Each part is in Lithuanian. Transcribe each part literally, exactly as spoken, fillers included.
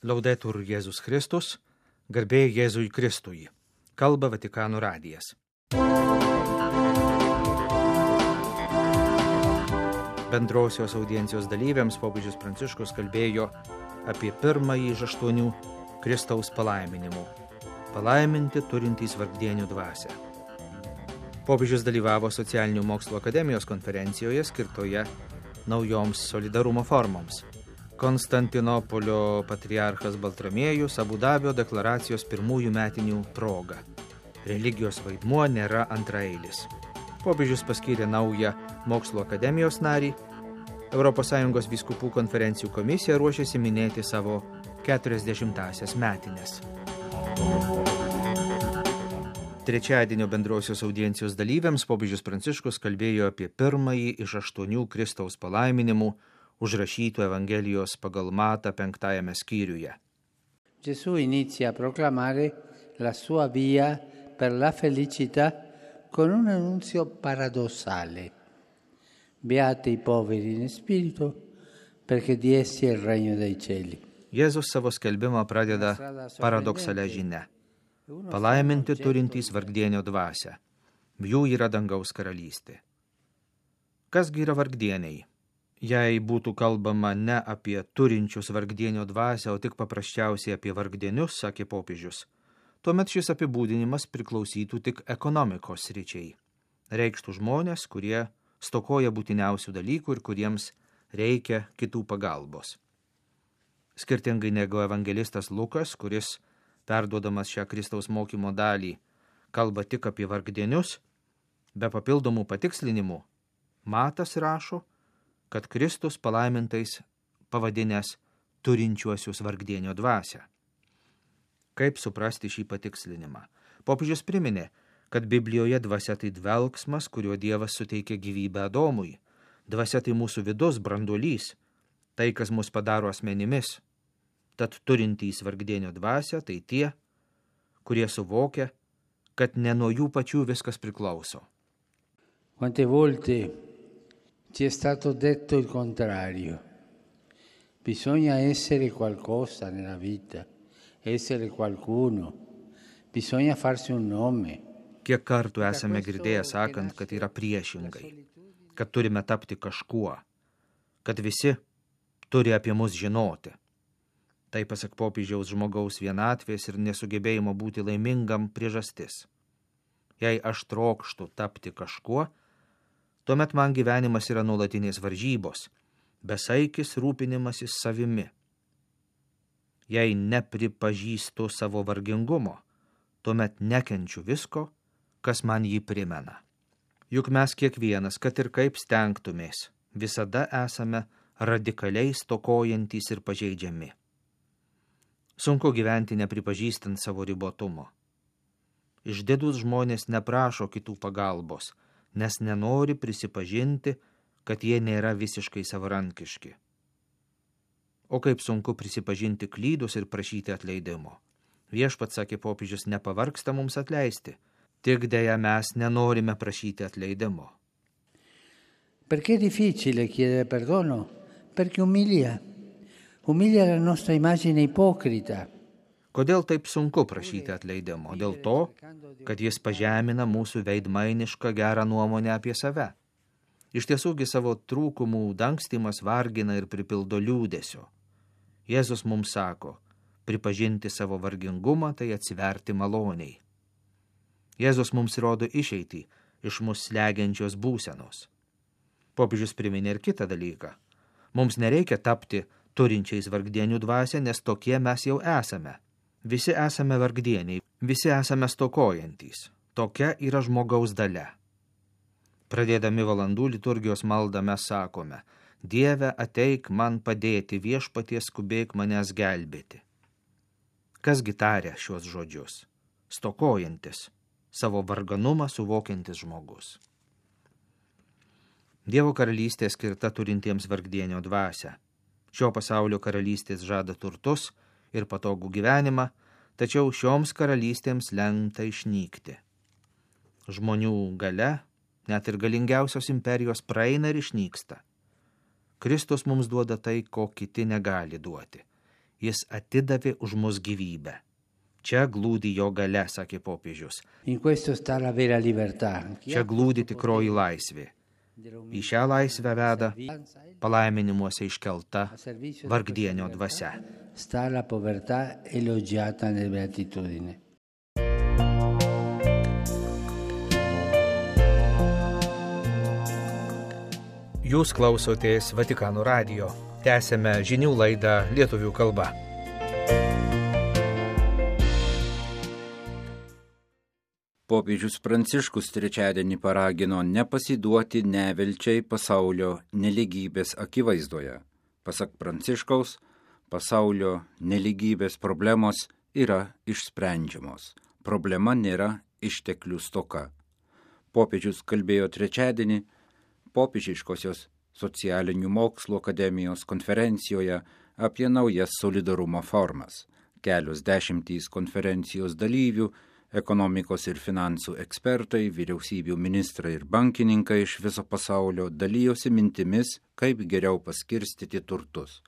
Laudetur Jėzus Kristus, garbė Jėzui Kristui. Kalba Vatikano radijas. Bendrosios audiencijos dalyviams popiežius Pranciškus kalbėjo apie pirmąjį iš aštuonių Kristaus palaiminimų. Palaiminti turintys vargdienių dvasią. Popiežius dalyvavo Socialinių mokslų akademijos konferencijoje skirtoje naujoms solidarumo formoms. Konstantinopolio patriarchas Baltramiejus Abu Dabio deklaracijos pirmųjų metinių proga. Religijos vaidmuo nėra antraeilis. Popiežius paskyrė naują mokslo akademijos narį. Europos Sąjungos vyskupų konferencijų komisija ruošiasi minėti savo keturiasdešimtąsias metines. Trečiadienio bendrosios audiencijos dalyviams popiežius Pranciškus kalbėjo apie pirmąjį iš aštuonių Kristaus palaiminimų užrašytų Evangelijos pagal Matą penktajame skyriuje. Gesù inizia a proclamare la sua via per la felicità con un annunzio paradossale. Beati i poveri in spirito, perché di essi è il regno dei cieli. Jėzus savo skelbimą pradeda paradoksalia žinia. Palaiminti turintys vargdienio dvasią. Jų yra dangaus karalystė. Kasgi yra vargdieniai? Jei būtų kalbama ne apie turinčius vargdienio dvasią, o tik paprasčiausiai apie vargdienius, sakė popiežius, tuomet šis apibūdinimas priklausytų tik ekonomikos sričiai. Reikštų žmonės, kurie stokoja būtiniausių dalykų ir kuriems reikia kitų pagalbos. Skirtingai negu evangelistas Lukas, kuris, perduodamas šią Kristaus mokymo dalį, kalba tik apie vargdienius, be papildomų patikslinimų, Matas rašo, kad Kristus palaimintais pavadinęs turinčiuosius vargdienio dvasią. Kaip suprasti šį patikslinimą? Popiežius priminė, kad Biblijoje dvasia tai dvelksmas, kuriuo Dievas suteikia gyvybę Adomui. Dvasia tai mūsų vidus, branduolys, tai, kas mus padaro asmenimis. Tad turintys vargdienio dvasią tai tie, kurie suvokia, kad ne nuo jų pačių viskas priklauso. Quante volte ci è stato detto il contrario. Bisogna essere qualcosa nella vita. Essere qualcuno, bisogna farsi un nome. Kiek kartų esame girdėję sakant, kad yra priešingai, kad turime tapti kažkuo, kad visi turi apie mus žinoti. Tai pasak popiežiaus žmogaus vienatvės ir nesugebėjimo būti laimingam priežastis. Jei aš trokštu tapti kažkuo, tuomet man gyvenimas yra nuolatinės varžybos, besaikis rūpinimasis savimi. Jei nepripažįstu savo vargingumo, tuomet nekenčiu visko, kas man jį primena. Juk mes kiekvienas, kad ir kaip stengtumės, visada esame radikaliai stokojantys ir pažeidžiami. Sunku gyventi nepripažįstant savo ribotumo. Išdidūs žmonės neprašo kitų pagalbos, nes nenori prisipažinti, kad jie nėra visiškai savarankiški. O kaip sunku prisipažinti klydus ir prašyti atleidimo. Viešpats, sakė popiežius, nepavargsta mums atleisti, tik deja mes nenorime prašyti atleidimo. Perché è difficile chiedere perdono? Perché umilia. Umilia la nostra immagine ipocrita. Kodėl taip sunku prašyti atleidimo? Dėl to, kad jis pažemina mūsų veidmainišką gerą nuomonę apie save. Iš tiesųgi savo trūkumų dangstymas vargina ir pripildo liūdesio. Jėzus mums sako, pripažinti savo vargingumą tai atsiverti maloniai. Jėzus mums rodo išeitį iš mus slegiančios būsenos. Popiežius priminė ir kitą dalyką. Mums nereikia tapti turinčiais vargdienių dvasią, nes tokie mes jau esame. Visi esame vargdieniai, visi esame stokojantys. Tokia yra žmogaus dalia. Pradėdami valandų liturgijos maldą mes sakome, Dieve, ateik man padėti, viešpatie skubėk manęs gelbėti. Kasgi taria šios žodžius? Stokojantis, savo varganumą suvokiantis žmogus. Dievo karalystė skirta turintiems vargdienio dvasią. Šio pasaulio karalystės žada turtus ir patogų gyvenimą, tačiau šioms karalystėms lemta išnykti. Žmonių galia, net ir galingiausios imperijos praeina ir išnyksta. Kristus mums duoda tai, ko kiti negali duoti. jis atidavė už mus gyvybę. Čia glūdi jo galia, sakė popiežius. Čia glūdi tikroji laisvė. Į šią laisvę veda palaiminimuose iškelta vargdienio dvasia. Jūs klausotės Vatikano radijo. Tęsėme žinių laidą lietuvių kalba. Popiežius Pranciškus trečiadienį paragino nepasiduoti nevilčiai pasaulio nelygybės akivaizdoje. Pasak Pranciškaus, pasaulio nelygybės problemos yra išsprendžiamos. Problema nėra išteklių stoka. Popiežius kalbėjo trečiadienį Popiežiškosios socialinių mokslų akademijos konferencijoje apie naujas solidarumo formas. Kelios dešimtys konferencijos dalyvių, ekonomikos ir finansų ekspertai, vyriausybių ministrai ir bankininkai iš viso pasaulio dalijosi mintimis, kaip geriau paskirstyti turtus.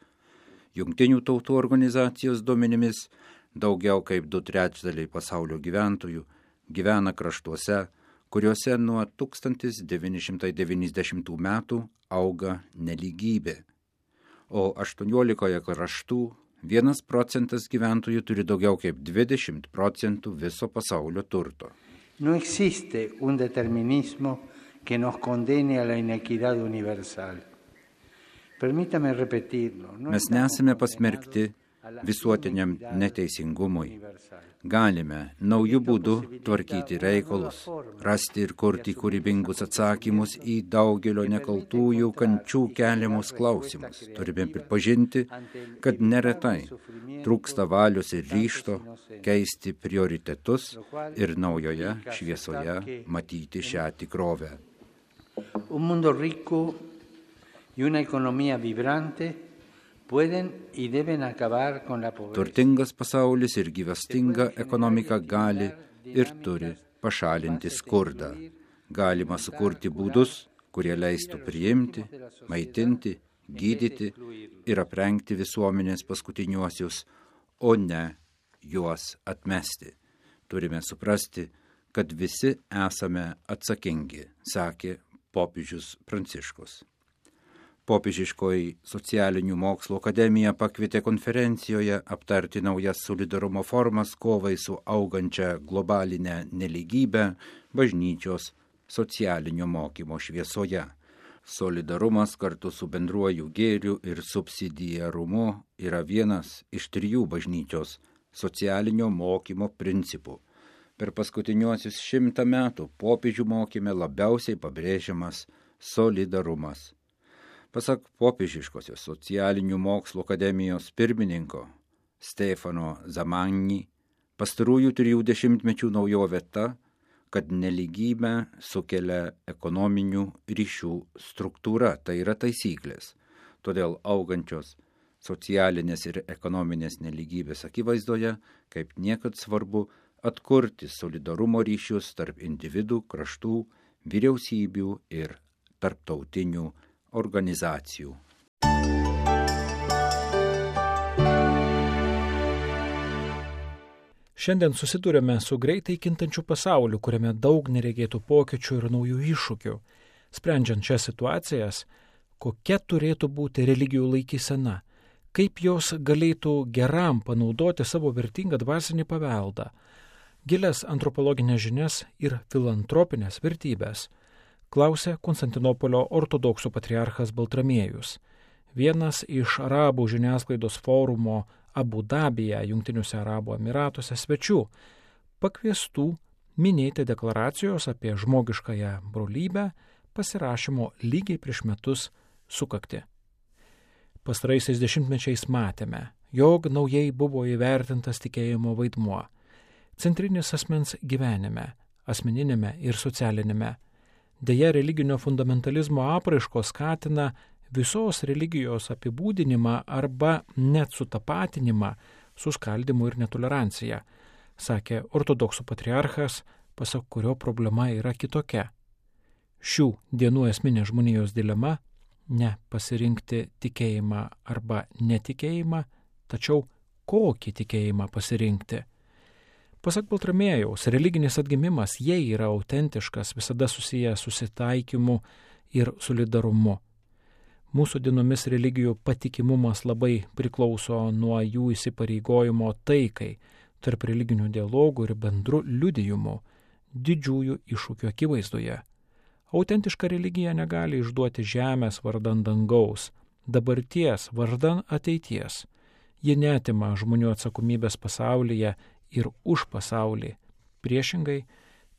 Jungtinių tautų organizacijos duomenimis daugiau kaip du trečdaliai pasaulio gyventojų gyvena kraštuose, kuriuose nuo tūkstantis devyni šimtai devyniasdešimtų metų auga nelygybė, o aštuoniolikoje kraštų vienas procentas gyventojų turi daugiau kaip dvidešimt procentų viso pasaulio turto. No existe un determinismo que nos condene a la inequidad universal. Permítame repetirlo. Mes nesame pasmerkti visuotiniam neteisingumui. Galime naujų būdų tvarkyti reikalus, rasti ir kurti kūrybingus atsakymus į daugelio nekaltųjų kančių keliamus klausimus. Turime pripažinti, kad neretai trūksta valios ir ryžto keisti prioritetus ir naujoje šviesoje matyti šią tikrovę. Un mundo rico y una economía vibrante Turtingas pasaulis ir gyvastinga ekonomika gali ir turi pašalinti skurdą. Galima sukurti būdus, kurie leistų priimti, maitinti, gydyti ir aprengti visuomenės paskutiniuosius, o ne juos atmesti. Turime suprasti, kad visi esame atsakingi, sakė popiežius Pranciškus. Popiežiškoji socialinių mokslų akademija pakvietė konferencijoje aptarti naujas solidarumo formas kovai su augančia globalinė nelygybė bažnyčios socialinio mokymo šviesoje. Solidarumas kartu su bendruoju gėriu ir subsidiarumu yra vienas iš trijų bažnyčios socialinio mokymo principų. Per paskutiniuosius šimtą metų popiežių mokyme labiausiai pabrėžiamas solidarumas. Pasak popiežiškosios socialinių mokslų akademijos pirmininko Stefano Zamanni, pastarųjų trijų dešimtmečių naujovė ta, kad nelygybę sukelia ekonominių ryšių struktūra, tai yra taisyklės. Todėl augančios socialinės ir ekonominės nelygybės akivaizdoje, kaip niekad svarbu atkurti solidarumo ryšius tarp individų, kraštų, vyriausybių ir tarptautinių organizacijų. Šiandien susidurėme su greitai kintančiu pasauliu, kuriame daug neregėtų pokyčių ir naujų iššūkių. Sprendžiant šias situacijas, kokia turėtų būti religijų laikysena, kaip jos galėtų geram panaudoti savo vertingą dvasinį paveldą, gilias antropologinės žinias ir filantropinės vertybės, klausė Konstantinopolio ortodoksų patriarchas Baltramiejus, vienas iš arabų žiniasklaidos forumo Abu Dabyje, Jungtiniuose Arabų Emyratuose svečių, pakviestų minėti deklaracijos apie žmogiškąją brolybę pasirašymo lygiai prieš metus sukaktį. Pastaraisiais dešimtmečiais matėme, jog naujai buvo įvertintas tikėjimo vaidmuo, centrinis asmens gyvenime, asmeninėme ir socialinėme. Deja, religinio fundamentalizmo apraiškos skatina visos religijos apibūdinimą arba net sutapatinimą su skaldymu ir netoleranciją, sakė ortodoksų patriarchas, pasak kurio problema yra kitokia. Šių dienų esminė žmonijos dilema – ne pasirinkti tikėjimą arba netikėjimą, tačiau kokį tikėjimą pasirinkti. Pasak Baltramiejaus, religinis atgimimas, jei yra autentiškas, visada susijęs susitaikymu ir solidarumu. Mūsų dienomis religijų patikimumas labai priklauso nuo jų įsipareigojimo taikai, tarp religinių dialogų ir bendrų liudijimų, didžiųjų iššūkių akivaizdoje. Autentiška religija negali išduoti žemės vardan dangaus, dabarties vardan ateities. Ji neatima žmonių atsakomybės pasaulyje ir už pasaulį. Priešingai,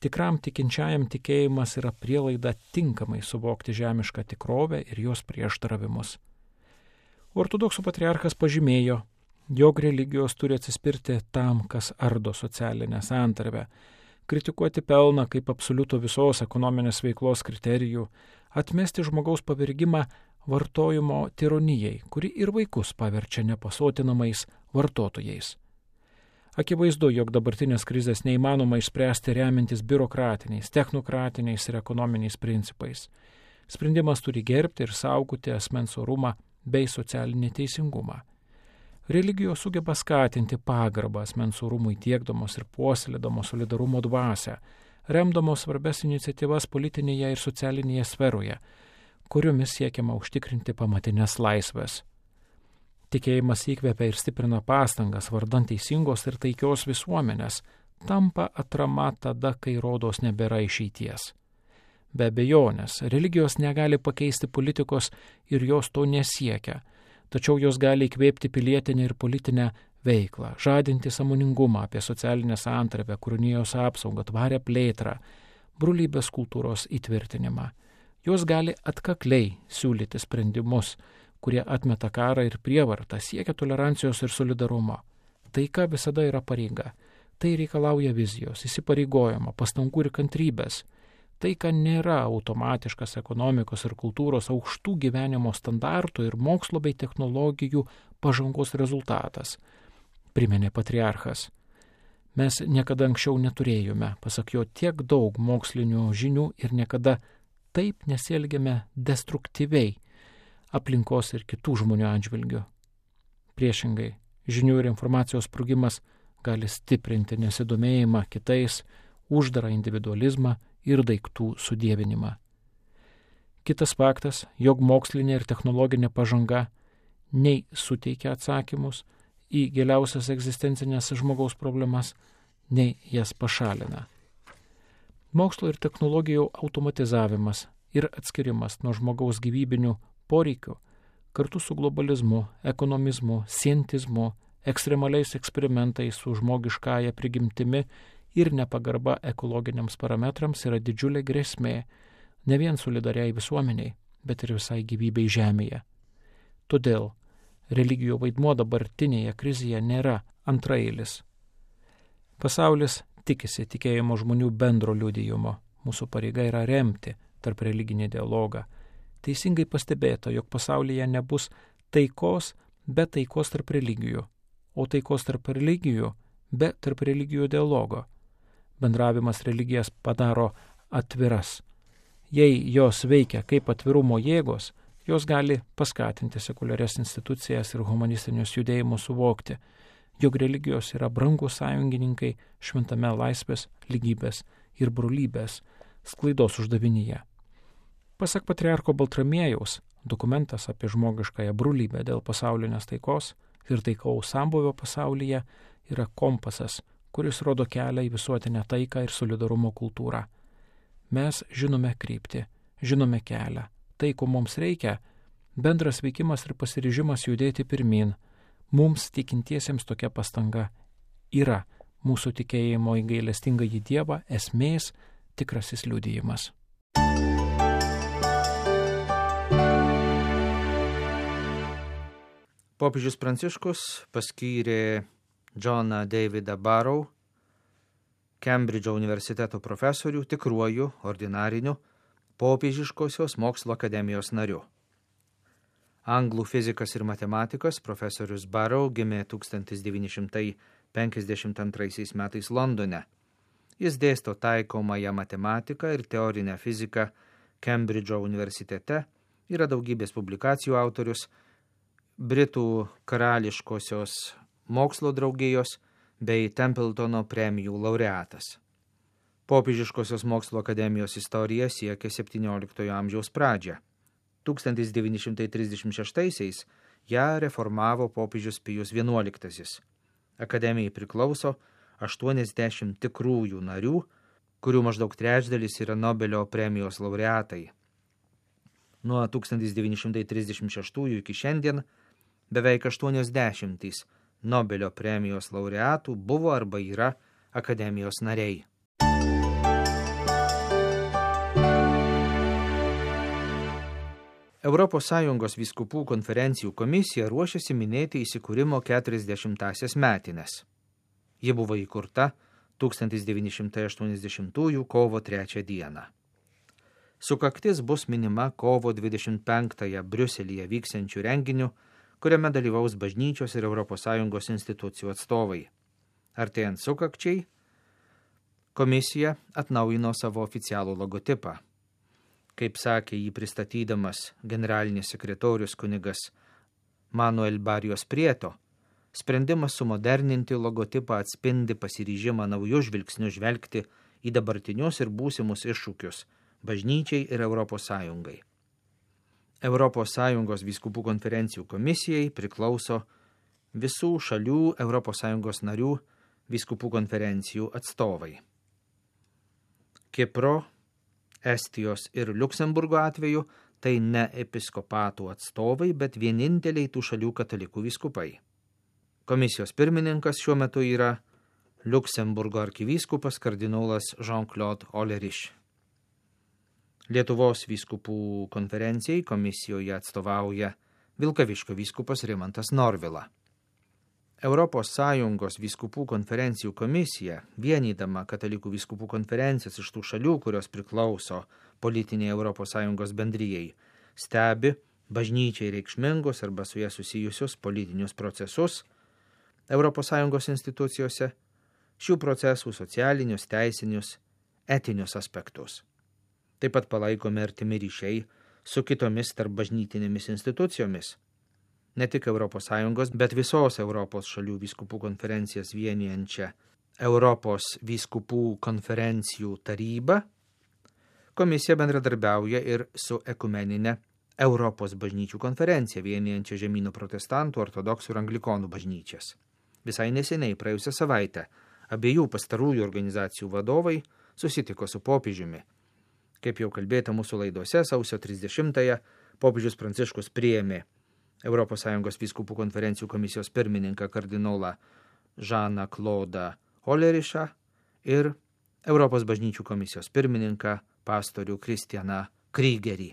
tikram tikinčiajam tikėjimas yra prielaida tinkamai suvokti žemišką tikrovę ir jos prieštaravimus. Ortodoksų patriarchas pažymėjo, jog religijos turi atsispirti tam, kas ardo socialinę santarvę, kritikuoti pelną kaip absoliutų visos ekonominės veiklos kriterijų, atmesti žmogaus pavergimą vartojimo tironijai, kuri ir vaikus paverčia nepasotinamais vartotojais. Akivaizdu, jog dabartinės krizės neįmanoma išspręsti remintis biurokratiniais, technokratiniais ir ekonominiais principais. Sprendimas turi gerbti ir saugoti asmens orumą bei socialinį teisingumą. Religijos sugeba skatinti pagarbą asmens orumui tiekdamos ir puoselėdamos solidarumo dvasią, remdamos svarbias iniciatyvas politinėje ir socialinėje sferoje, kuriomis siekiama užtikrinti pamatinės laisvės. Tikėjimas įkvepia ir stiprina pastangas vardan teisingos ir taikios visuomenės, tampa atrama tada, kai rodos nebėra išeities. Be abejonės, religijos negali pakeisti politikos ir jos to nesiekia, tačiau jos gali įkvėpti pilietinę ir politinę veiklą, žadinti sąmoningumą apie socialinę santarvę, kūrinijos apsaugą, tvarią plėtrą, brolybės kultūros įtvirtinimą. Jos gali atkakliai siūlyti sprendimus, kurie atmeta karą ir prievartą, siekia tolerancijos ir solidarumo. Taika visada yra pareiga. Tai reikalauja vizijos, įsipareigojimo, pastangų ir kantrybės. Taika nėra automatiškas ekonomikos ir kultūros aukštų gyvenimo standartų ir mokslo bei technologijų pažangos rezultatas, priminė patriarchas. Mes niekada anksčiau neturėjome, pasak jo, tiek daug mokslinių žinių ir niekada taip nesielgiame destruktyviai aplinkos ir kitų žmonių atžvilgių. Priešingai, žinių ir informacijos sprogimas gali stiprinti nesidomėjimą kitais, uždarą individualizmą ir daiktų sudievinimą. Kitas faktas, jog mokslinė ir technologinė pažanga nei suteikia atsakymus į giliausias egzistencinės žmogaus problemas, nei jas pašalina. Mokslo ir technologijų automatizavimas ir atskirimas nuo žmogaus gyvybinių poreikių, kartu su globalizmu, ekonomizmu, sientizmu, ekstremaliais eksperimentais su žmogiškąja prigimtimi ir nepagarba ekologiniams parametrams yra didžiulė grėsmė ne vien solidariai visuomeniai, bet ir visai gyvybei žemėje. Todėl religijų vaidmuo dabartinėje krizėje nėra antraeilis. Pasaulis tikisi tikėjimo žmonių bendro liudijimo. Mūsų pareiga yra remti tarp religinį dialogą. Teisingai pastebėta, jog pasaulyje nebus taikos be taikos tarp religijų, o taikos tarp religijų be tarp religijų dialogo. Bendravimas religijas padaro atviras. Jei jos veikia kaip atvirumo jėgos, jos gali paskatinti sekuliarias institucijas ir humanistinius judėjimus suvokti, jog religijos yra brangūs sąjungininkai šventame laisvės, lygybės ir brolybės sklaidos uždavinyje. Pasak patriarcho Baltramiejaus, dokumentas apie žmogiškąją brolybę dėl pasaulinės taikos ir taikaus sambūvio pasaulyje yra kompasas, kuris rodo kelią į visuotinę taiką ir solidarumo kultūrą. Mes žinome kryptį, žinome kelią. Tai, ko mums reikia, bendras veikimas ir pasiryžimas judėti pirmin. Mums tikintiesiems tokia pastanga yra mūsų tikėjimo į gailestingąjį Dievą esmės tikrasis liudijimas. Popiežius Pranciškus paskyrė Johną Davidą Barrow, Kembridžo universiteto profesorių, tikruoju, ordinariniu, popiežiškosios mokslo akademijos nariu. Anglų fizikas ir matematikas profesorius Barrow gimė tūkstantis devyni šimtai penkiasdešimt antraisiais metais Londone. Jis dėsto taikomąją matematiką ir teorinę fiziką Kembridžo universitete, yra daugybės publikacijų autorius, Britų karališkosios mokslo draugijos bei Templetono premijų laureatas. Popiežiškosios mokslo akademijos istorija siekia septynioliktojo amžiaus pradžią. tūkstantis devyni šimtai trisdešimt šeštaisiais ją reformavo popiežius Pijus vienuoliktasis. Akademijai priklauso aštuoniasdešimt tikrųjų narių, kurių maždaug trečdalis yra Nobelio premijos laureatai. Nuo tūkstantis devyni šimtai trisdešimt šeštųjų iki šiandien beveik aštuoniasdešimtys Nobelio premijos laureatų buvo arba yra akademijos nariai. Europos Sąjungos vyskupų konferencijų komisija ruošiasi minėti įsikūrimo keturiasdešimtąsias metines. Ji buvo įkurta tūkstantis devyni šimtai aštuoniasdešimtųjų kovo trečią dieną. Sukaktis bus minima kovo dvidešimt penktąją Briuselyje vyksiančių renginių, kuriame dalyvaus bažnyčios ir Europos Sąjungos institucijų atstovai. Artėjant sukakčiai, komisija atnaujino savo oficialų logotipą. Kaip sakė jį pristatydamas generalinis sekretorius kunigas Manuel Barrios Prieto, sprendimas sumoderninti logotipą atspindi pasiryžimą naujų žvilgsnių žvelgti į dabartinius ir būsimus iššūkius bažnyčiai ir Europos Sąjungai. Europos Sąjungos vyskupų konferencijų komisijai priklauso visų šalių Europos Sąjungos narių vyskupų konferencijų atstovai. Kipro, Estijos ir Liuksemburgo atveju tai ne episkopatų atstovai, bet vieninteliai tų šalių katalikų vyskupai. Komisijos pirmininkas šiuo metu yra Liuksemburgo arkivyskupas kardinolas Jean-Claude Ollerich. Lietuvos vyskupų konferencijai komisijoje atstovauja Vilkaviškio vyskupas Rimantas Norvila. Europos Sąjungos vyskupų konferencijų komisija, vienydama katalikų vyskupų konferencijas iš tų šalių, kurios priklauso politiniai Europos Sąjungos bendrijai, stebi bažnyčiai reikšmingus arba su jie susijusius politinius procesus Europos Sąjungos institucijose, šių procesų socialinius, teisinius, etinius aspektus. Taip pat palaikomi artimi ryšiai su kitomis tarp bažnytinėmis institucijomis, ne tik Europos Sąjungos, bet visos Europos šalių vyskupų konferencijas vienijančią Europos vyskupų konferencijų tarybą. Komisija bendradarbiauja ir su ekumeninė Europos bažnyčių konferencija vienijančia žemyno protestantų, ortodoksų ir anglikonų bažnyčias. Visai neseniai, praėjusią savaitę, abiejų pastarųjų organizacijų vadovai susitiko su popiežiumi. Kaip jau kalbėta mūsų laidose, sausio trisdešimtąją popiežius Pranciškus priėmė Europos Sąjungos vyskupų konferencijų komisijos pirmininką kardinolą Žaną Klodą Olerichą ir Europos bažnyčių komisijos pirmininką pastorių Kristianą Krygerį.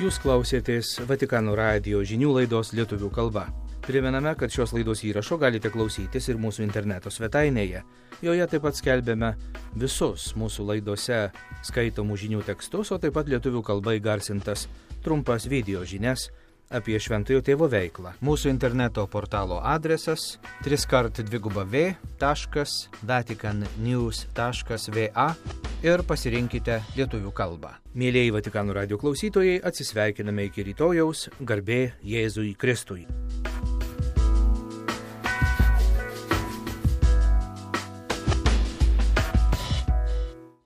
Jūs klausėtės Vatikano radijo žinių laidos lietuvių kalba. Primename, kad šios laidos įrašo galite klausytis ir mūsų interneto svetainėje. Joje taip pat skelbėme visus mūsų laidose skaitomų žinių tekstus, o taip pat lietuvių kalba įgarsintas trumpas video žinias apie Šventojo Tėvo veiklą. Mūsų interneto portalo adresas triskart dviguba v taškas vatican news taškas va ir pasirinkite lietuvių kalbą. Mėlieji Vatikano radijo klausytojai, atsisveikiname iki rytojaus, garbė Jėzui Kristui.